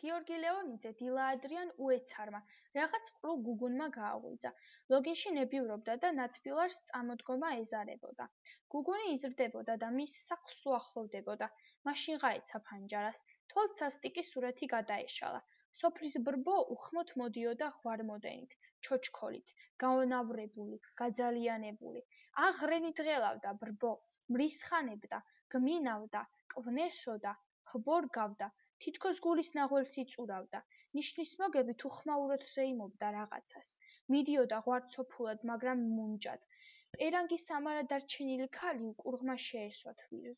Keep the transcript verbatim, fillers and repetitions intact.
გიორგი ლეონიძე დილა ადრიან უეცარმა, რაღაც ყრუ გუგუნმა გააღვიძა. ლოგინში ნებივრობდა და ნათბილარს წამოდგომა ეზარებოდა. გუგუნი იზრდებოდა და მის სახლს უახლოვდებოდა. მაშინ გაეცა ფანჯარას. თვალთ სასტიკი სურათი გადაეშალა. სოფლის ბრბო უხმოდ მოდიოდა ღვარმოდენით, ჩოჩქოლით, გაონავრებული, გაძალიანებული. აღრენი დღელავდა ბრბო, მრისხანებდა, გმინავდა, კვნესოდა, ხბორგავდა, თითქოს გულის ნაღველს იწურავდა. ნიშნის მოგებით უხმაუროდ ზეიმობდა რაღაცას. მიდიოდა ღვარცოფულად, მაგრამ მუნჯად. პერანგის ამარა დარჩენილი ქალი უკურღმა შეესვა თვირზე.